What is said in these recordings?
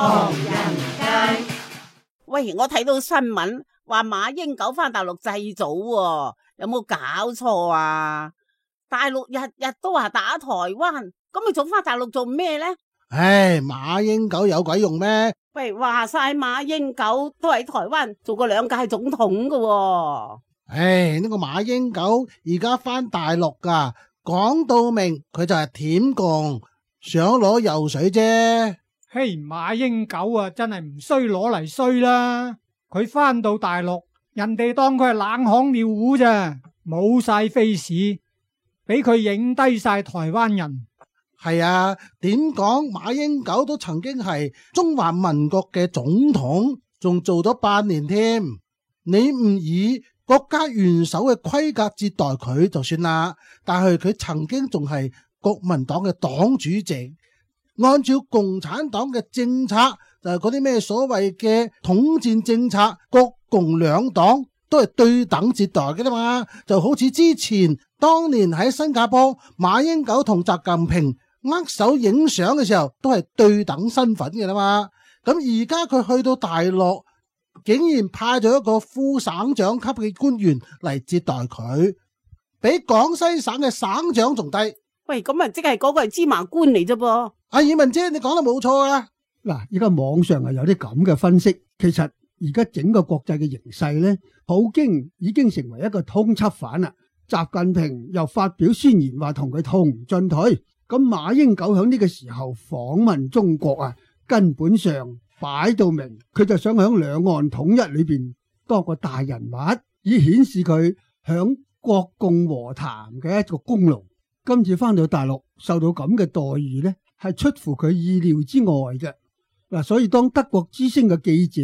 唐人街。喂，我睇到新聞話馬英九返大陸祭祖喎，有冇搞錯啊？大陸日日都話打台灣，咁佢仲返大陸做咩呢？唉，馬英九有鬼用咩？喂，話晒馬英九都喺台灣做過2屆總統㗎喎。唉，呢個馬英九而家返大陸噶，講到明佢就係舔共，想攞油水啫。嘿，馬英九啊，真係唔衰攞嚟衰啦！佢返到大陸，人哋當佢係冷巷尿壺咋，冇晒 face，俾佢影低晒台灣人。係啊，點講馬英九都曾經係中華民國嘅總統，仲做咗8年添。你唔以國家元首嘅規格接待佢就算啦，但係佢曾經仲係國民黨嘅黨主席。按照共產黨嘅政策，就係嗰啲咩所謂嘅統戰政策，國共兩黨都係對等接待嘅啦嘛。就好似之前當年喺新加坡，馬英九同習近平握手影相嘅時候，都係對等身份嘅啦嘛。咁而家佢去到大陸，竟然派咗一個副省長級嘅官員嚟接待佢，比廣西省嘅省長仲低。喂，咁啊，即係嗰個係芝麻官嚟啫噃。阿爾文姐，你講得冇錯啊！嗱，而家網上係有啲咁嘅分析，其實而家整個國際嘅形勢呢，普京已經成為一個通緝犯啦。習近平又發表宣言話同佢同進退，咁馬英九響呢個時候訪問中國啊，根本上擺到明，佢就想響兩岸統一裏邊多個大人物，以顯示佢響國共和談嘅一個功勞。今次翻到大陸受到咁嘅待遇呢，係出乎佢意料之外嘅。嗱，所以當德國之聲嘅記者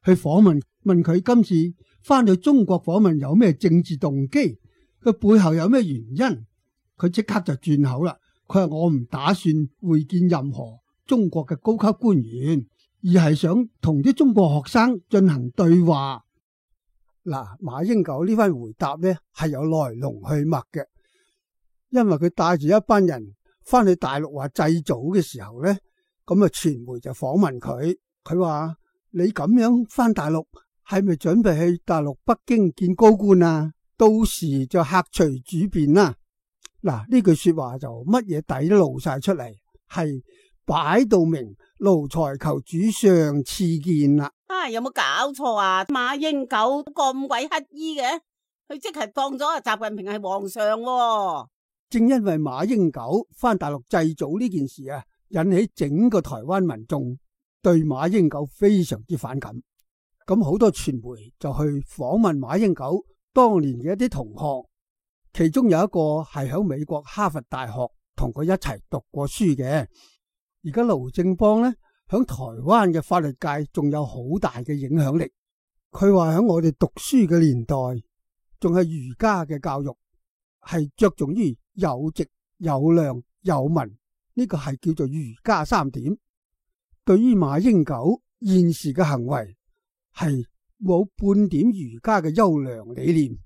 去訪問佢今次翻到中國訪問有咩政治動機，佢背後有咩原因，佢即刻就轉口啦。佢話我唔打算會見任何中國嘅高級官員，而係想同啲中國學生進行對話。嗱，馬英九呢番回答呢係有來龍去脈嘅。因為佢帶住一班人翻去大陸話祭祖嘅時候呢，咁啊傳媒就訪問佢，佢話你咁樣翻大陸係咪準備去大陸北京見高官啊？到時就客隨主便啦。嗱，呢句說話就乜嘢底都露晒出嚟，係擺到明奴才求主上賜見啦。有冇搞錯啊？馬英九咁鬼乞衣嘅，佢即係當咗習近平係皇上喎。正因為馬英九翻大陸祭祖呢件事啊，引起整個台灣民眾對馬英九非常之反感。咁好多傳媒就去訪問馬英九當年嘅一啲同學，其中有一個係喺美國哈佛大學同佢一齊讀過書嘅。而家盧正邦呢，響台灣嘅法律界仲有好大嘅影響力。佢話響我哋讀書嘅年代，仲係儒家嘅教育，係着重於有直有量有文，呢個係叫做儒家3點。對於馬英九現時嘅行為係冇半點儒家嘅優良理念，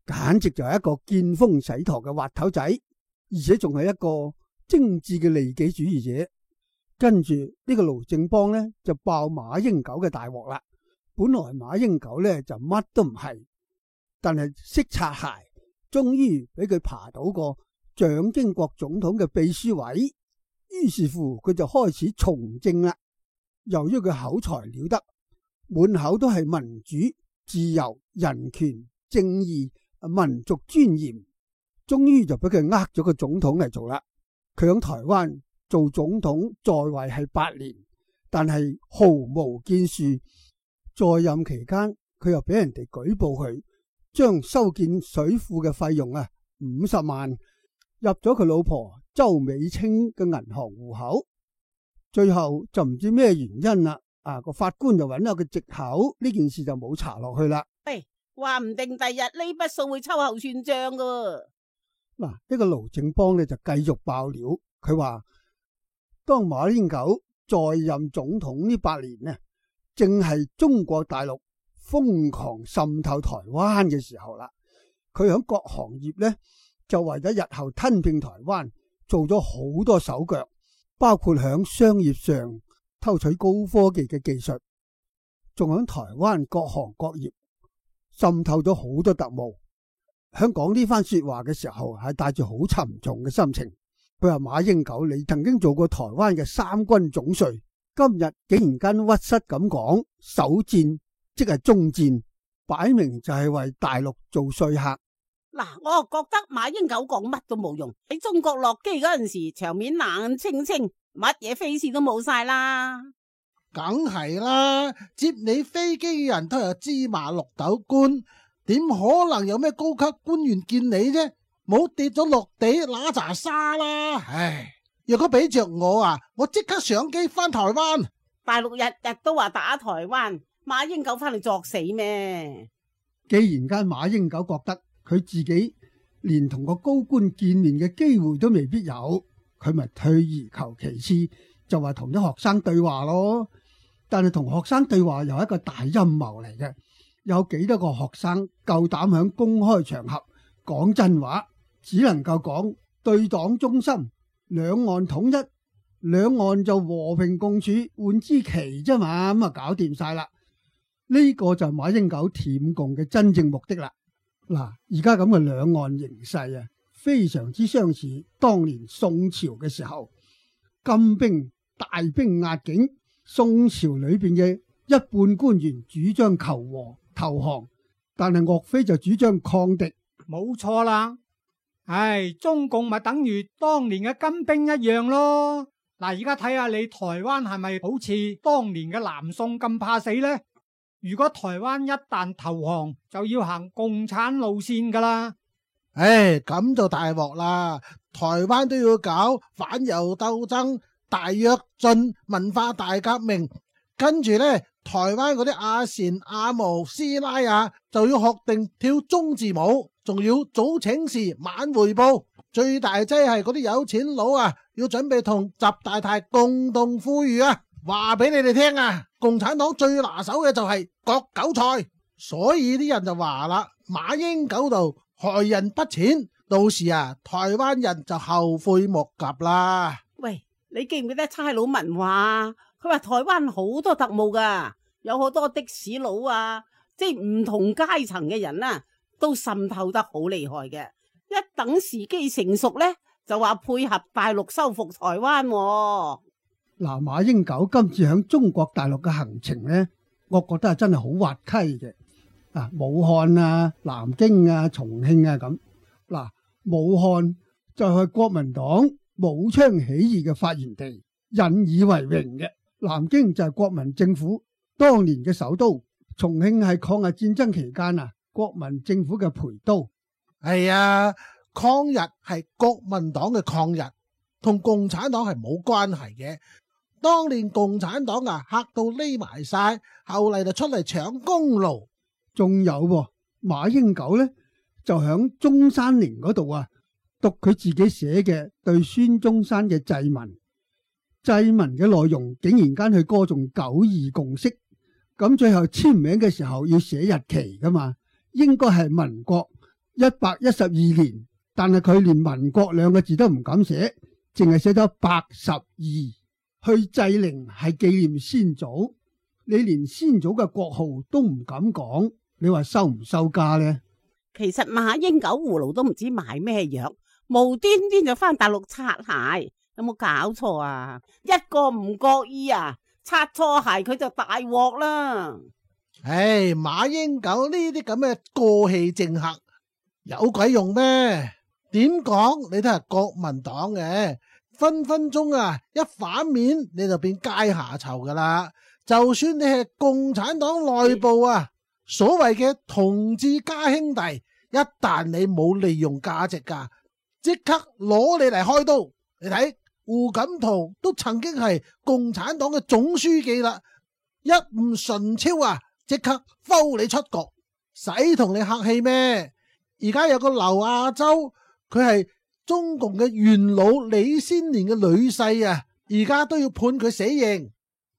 簡直就係一個見風使舵嘅滑頭仔，而且仲係一個精緻嘅利己主義者。跟住呢個盧正邦呢，就爆馬英九嘅大鑊啦。本來馬英九呢就乜都唔係，但係識擦鞋，終於俾佢爬到個蔣經國總統嘅秘書位，於是乎佢就開始從政啦。由於佢口才了得，滿口都係民主、自由、人權、正義、民族尊嚴，終於就俾佢呃咗個總統嚟做啦。佢喺台灣做總統在位係8年，但係毫無建樹。在任期間，佢又俾人哋舉報佢將修建水庫嘅費用50萬入咗佢老婆周美青嘅銀行戶口，最後就唔知咩原因啦。個法官就揾咗個藉口，呢件事就冇查落去啦。喂，話唔定第日呢筆數會秋後算賬噶。嗱，呢個盧正邦呢就繼續爆料，佢話當馬英九在任總統呢8年呢，正係中國大陸瘋狂滲透台灣嘅時候啦。佢喺各行業呢，就為咗日後吞併台灣做咗好多手腳，包括喺商業上偷取高科技嘅技術，仲喺台灣各行各業滲透咗好多特務。喺講呢番說話嘅時候，係帶住好沉重嘅心情。佢話馬英九，你曾經做過台灣嘅三軍總帥，今日竟然間屈膝咁講首戰即係終戰，擺明就係為大陸做說客。嗱，我覺得馬英九講乜都冇用。喺中國落機嗰陣時，場面冷清清，乜嘢飛事都冇晒啦。梗係啦，接你飛機嘅人都係芝麻綠豆官，點可能有咩高級官員見你啫？冇跌咗落地揦查沙啦！唉，若果俾着我啊，我即刻上機翻台灣。大陸日日都話打台灣，馬英九翻嚟作死咩？既然間馬英九覺得佢自己連同個高官見面嘅機會都未必有，佢咪退而求其次，就話同啲學生對話咯。但係同學生對話又係一個大陰謀嚟嘅，有幾多個學生夠膽響公開場合講真話？只能夠講對黨忠心，兩岸統一，兩岸就和平共處，換支旗啫嘛，咁啊搞掂晒啦。呢個就係馬英九舔共嘅真正目的啦。嗱，而家咁嘅兩岸形勢啊，非常之相似當年宋朝嘅時候，金兵大兵壓境，宋朝裏邊嘅一半官員主張求和投降，但係岳飛就主張抗敵。冇錯啦。唉，中共咪等於當年嘅金兵一樣咯。嗱，而家睇下你台灣係咪好似當年嘅南宋咁怕死呢？如果台灣一旦投降，就要行共產路線噶啦。唉，咁就大鑊啦！台灣都要搞反猶鬥爭、大躍進、文化大革命，跟住呢，台灣嗰啲阿善、阿毛、師奶啊，就要學定跳中字舞，仲要早請示、晚回報。最大劑係嗰啲有錢佬啊，要準備同習大大共同富裕啊！話俾你哋聽啊，共產黨最拿手嘅就係割韭菜，所以啲人就話啦，馬英九度害人不淺，到時啊，台灣人就後悔莫及啦。喂，你記唔記得差佬文話？佢話台灣好多特務噶，有好多的士佬啊，即係唔同階層嘅人啊，都滲透得好厲害嘅。一等時機成熟呢，就話配合大陸收復台灣喎。嗱，馬英九今次響中國大陸嘅行程呢，我覺得係真係好滑稽嘅。武漢啊、南京啊、重慶啊咁。嗱，武漢就係國民黨武昌起義嘅發源地，引以為榮嘅。南京就係國民政府當年嘅首都，重慶係抗日戰爭期間國民政府嘅陪都。係啊，抗日係國民黨嘅抗日，同共產黨係冇關係嘅。當年共產黨嚇到匿埋晒，後嚟就出嚟搶功勞。仲有馬英九呢，就響中山陵嗰度讀佢自己寫嘅對孫中山嘅祭文。祭文嘅內容竟然間去歌頌九二共識，咁最後簽名嘅時候要寫日期噶嘛，應該係民國112年，但係佢連民國兩個字都唔敢寫，淨係寫咗82。去祭陵係紀念先祖，你連先祖嘅國號都唔敢講，你話收唔收家呢？其實馬英九葫蘆都唔知買咩藥，無端端就翻大陸擦鞋，有冇搞錯啊？一個唔覺意擦錯鞋佢就大鑊啦！唉，馬英九呢啲咁嘅過氣政客有鬼用咩？點講你都係國民黨嘅。分分鐘一反面你就變階下囚噶啦！就算你係共產黨內部所謂嘅同志家兄弟，一旦你冇利用價值噶，即刻攞你嚟開刀。你睇胡錦濤都曾經係共產黨嘅總書記啦，一唔順超即刻摟你出局，使同你客氣咩？而家有個劉亞洲，佢係中共嘅元老李先年嘅女婿而家都要判佢死刑。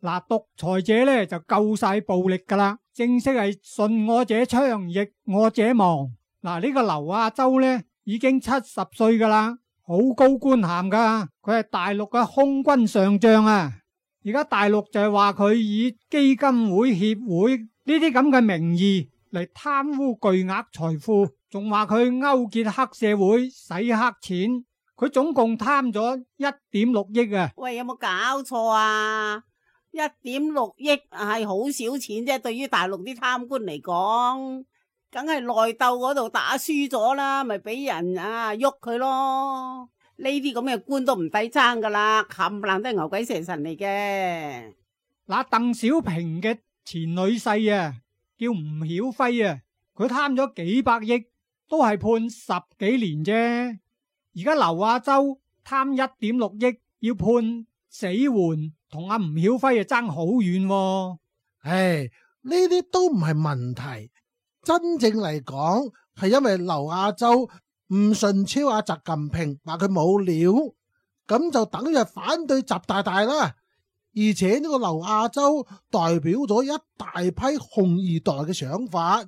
嗱，獨裁者呢就夠晒暴力噶啦，正式係順我者昌，逆我者亡。嗱，呢個劉亞洲呢已經70歲噶啦，好高官銜噶，佢係大陸嘅空軍上將而家大陸就係話佢以基金會、協會呢啲咁嘅名義嚟貪污巨額財富，仲話佢勾結黑社會洗黑錢，佢總共貪咗1.6億啊！喂，有冇搞錯啊？1.6億係好少錢啫，對於大陸啲貪官嚟講，梗係內鬥嗰度打輸咗啦，咪俾人喐佢咯。呢啲咁嘅官都唔抵爭噶啦，冚唪唥都係牛鬼蛇神嚟嘅。嗱，鄧小平嘅前女婿啊，叫吳曉輝啊，佢貪咗幾百億，都係判10幾年啫。而家劉亞洲貪1.6億，要判死緩，同阿吳曉輝啊爭好遠。唉，呢啲都唔係問題，真正嚟講係因為劉亞洲唔順超阿習近平，話佢冇料，咁就等於反對習大大啦。而且呢個劉亞洲代表咗一大批紅二代嘅想法，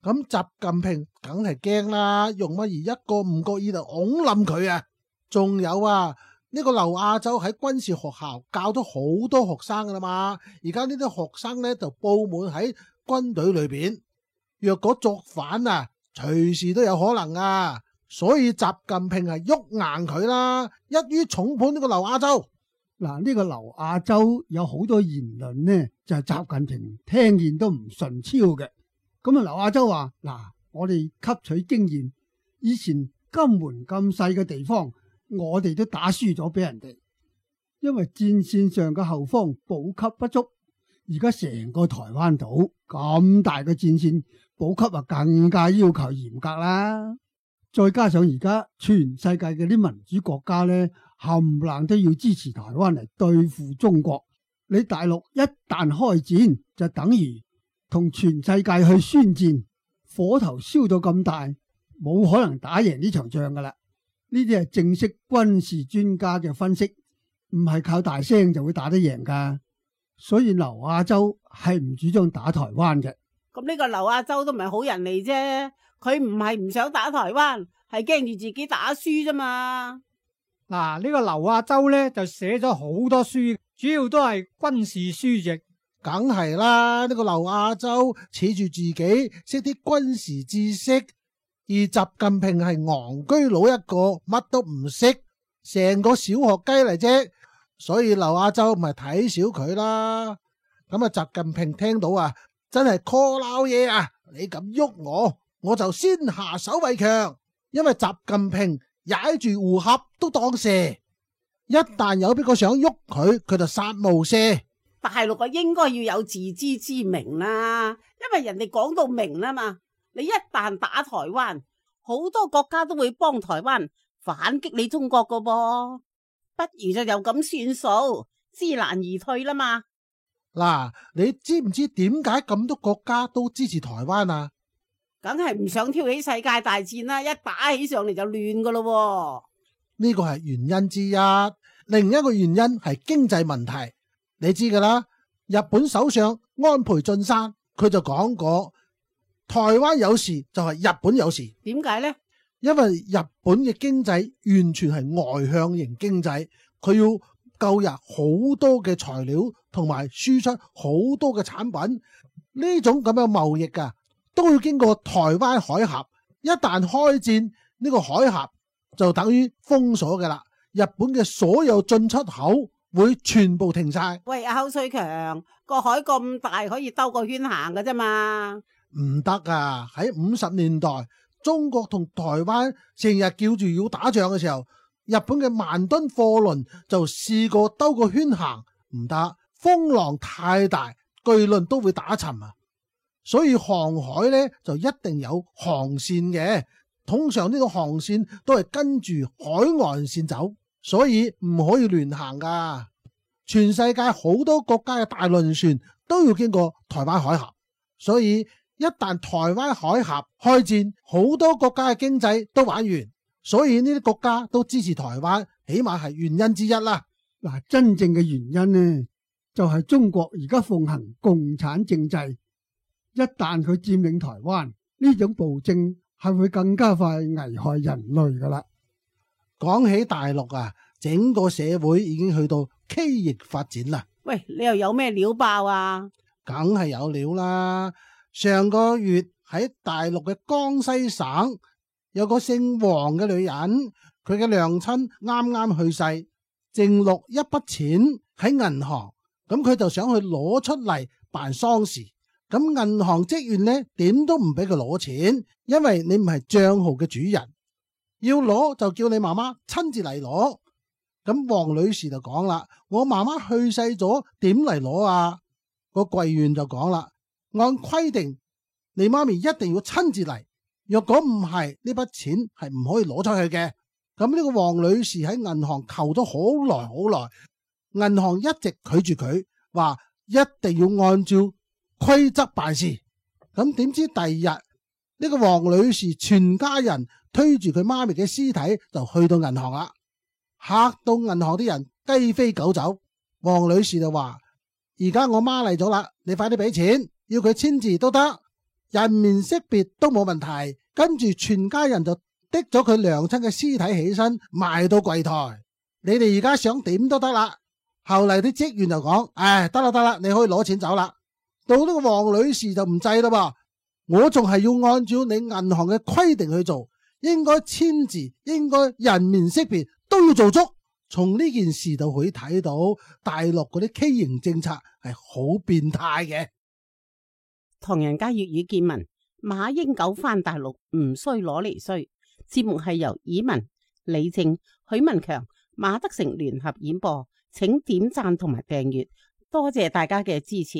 咁習近平梗係驚啦，用乜而一個唔覺意就拱冧佢啊！仲有啊，呢個劉亞洲喺軍事學校教咗好多學生噶啦嘛，而家呢啲學生呢就布滿喺軍隊裏邊，若果作反啊，隨時都有可能啊！所以習近平係喐硬佢啦，一於重判呢個劉亞洲。嗱，呢個劉亞洲有好多言論呢，就係習近平聽見都唔順超嘅。咁啊，劉亞洲話：嗱，我哋吸取經驗，以前金門咁細嘅地方，我哋都打輸咗俾人哋，因為戰線上嘅後方補給不足。而家成個台灣島咁大嘅戰線，補給啊更加要求嚴格啦。再加上而家全世界嘅啲民主國家呢，冚唪唥都要支持台灣嚟對付中國。你大陸一旦開戰，就等於同全世界去宣戰，火頭燒到咁大，冇可能打贏呢場仗噶啦。呢啲係正式軍事專家嘅分析，唔係靠大聲就會打得贏噶。所以劉亞洲係唔主張打台灣嘅。咁呢個劉亞洲都唔係好人嚟啫，佢唔係唔想打台灣，係驚住自己打輸啫嘛。嗱，呢個劉亞洲呢，就寫咗好多書，主要都係軍事書籍。梗係啦，呢個劉亞洲恃住自己識啲軍事知識，而習近平係戇居佬一個，乜都唔識，成個小學雞嚟啫。所以劉亞洲咪睇小佢啦。咁啊，習近平聽到啊，真係 call 撈嘢啊！你咁喐我就先下手為強。因為習近平踩住胡俠都當蛇，一旦有邊個想喐佢，佢就殺無赦。大陸啊，應該要有自知之明啦，因為人哋講到明啦嘛。你一旦打台灣，好多國家都會幫台灣反擊你中國噶噃，不如就有咁算數，知難而退啦嘛。嗱，你知唔知點解咁多國家都支持台灣啊？梗係唔想挑起世界大戰啦，一打起上嚟就亂噶咯。呢個係原因之一，另一個原因係經濟問題。你知噶啦，日本首相安倍晉三佢就講過，台灣有事就係日本有事。點解呢？因為日本嘅經濟完全係外向型經濟，佢要購入好多嘅材料，同埋輸出好多嘅產品。呢種咁嘅貿易啊，都要經過台灣海峽。一旦開戰，呢個海峽就等於封鎖嘅啦。日本嘅所有進出口會全部停晒。喂，阿侯瑞強，個海咁大，可以兜個圈行㗎啫嘛？唔得啊！喺50年代，中國同台灣成日叫住要打仗嘅時候，日本嘅萬噸貨輪就試過兜個圈行，唔得，風浪太大，巨輪都會打沉啊！所以航海呢就一定有航線嘅，通常呢個航線都係跟住海岸線走，所以唔可以亂行噶。全世界好多國家嘅大輪船都要經過台灣海峽，所以一旦台灣海峽開戰，好多國家嘅經濟都玩完，所以呢啲國家都支持台灣，起碼係原因之一啦。嗱，真正嘅原因呢，就係中國而家奉行共產政制，一旦佢佔領台灣，呢種暴政係會更加快危害人類噶啦。講起大陸啊，整個社會已經去到畸形發展啦。喂，你又有咩料爆啊？梗係有料啦！上個月喺大陸嘅江西省有個姓黃嘅女人，佢嘅娘親啱啱去世，剩落一筆錢喺銀行，咁佢就想去攞出嚟辦喪事。咁銀行職員呢，點都唔俾佢攞錢，因為你唔係賬號嘅主人，要攞就叫你媽媽親自嚟攞。咁黃女士就講啦：我媽媽去世咗，點嚟攞啊？個櫃員就講啦：按規定，你媽咪一定要親自嚟，若果唔係，呢筆錢係唔可以攞出去嘅。咁呢個黃女士喺銀行求咗好耐好耐，銀行一直拒絕佢，話一定要按照規則辦事。咁點知第二日呢個黃女士全家人推住佢媽咪嘅屍體就去到銀行啦，嚇到銀行啲人雞飛狗走。黃女士就話：而家我媽嚟咗啦，你快啲俾錢，要佢簽字都得，人面識別都冇問題。跟住全家人就拎咗佢娘親嘅屍體起身，賣到櫃台。你哋而家想點都得啦。後嚟啲職員就講：得啦，你可以攞錢走啦。到呢個黃女士就唔制啦噃，我仲係要按照你銀行嘅規定去做，應該簽字，應該人面識別都要做足。從呢件事就可以睇到大陸嗰啲畸形政策係好變態嘅。唐人街粵語見聞，馬英九返大陸唔衰攞嚟衰。節目係由以文、李正、許文強、馬德成聯合演播，請點讚同埋訂閱，多謝大家嘅支持。